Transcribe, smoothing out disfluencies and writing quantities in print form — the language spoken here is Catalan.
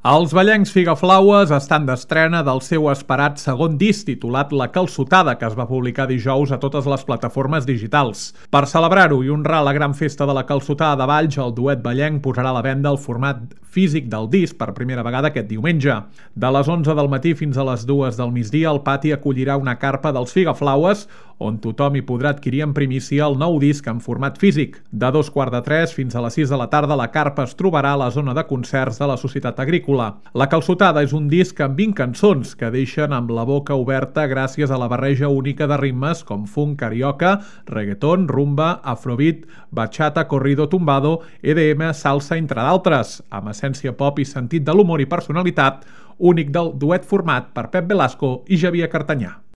Els ballencs Figaflaues estan d'estrena del seu esperat segon disc titulat La Calçotada, que es va publicar dijous a totes les plataformes digitals. Per celebrar-ho i honrar la gran festa de la Calçotada de Valls, el duet ballenc posarà a la venda el format físic del disc per primera vegada aquest diumenge. De les 11 del matí fins a les 2 del migdia, el pati acollirà una carpa dels Figaflaues, on tothom hi podrà adquirir en primícia el nou disc en format físic. De 2:15 fins a les 6 de la tarda, la carpa es trobarà a la zona de concerts de la Societat Agrícola. La Calçotada és un disc amb 20 cançons que deixen amb la boca oberta gràcies a la barreja única de ritmes com funk, carioca, reggaeton, rumba, afrobeat, bachata, corrido tumbado, EDM, salsa, entre d'altres, amb essència pop i sentit de l'humor i personalitat únic del duet format per Pep Velasco i Xavier Cartanyà.